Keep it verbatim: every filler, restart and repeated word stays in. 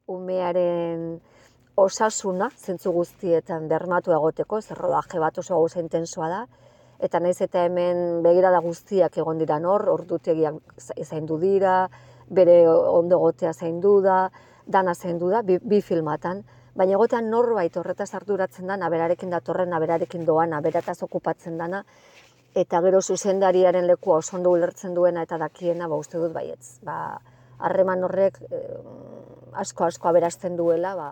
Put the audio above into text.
umearen osasuna, zentzu guztietan bermatu egoteko, zer rodaje bat oso gauza intensoa da, eta naiz eta hemen begirada guztiak egon dira hor, ordutegiak zaindu dira, bere ondo egotea zaindu da, dana zaindu da, bi, bi filmatan, baina egotean norbait horretaz arduratzen dana, berarekin datorrena, berarekin doana, berataz okupatzen dana, eta gero zuzendariaren lekua oso ondo ulertzen duena eta dakiena, ba uste dut baietz. Ba, harreman horrek eh, asko asko aberasten duela, ba,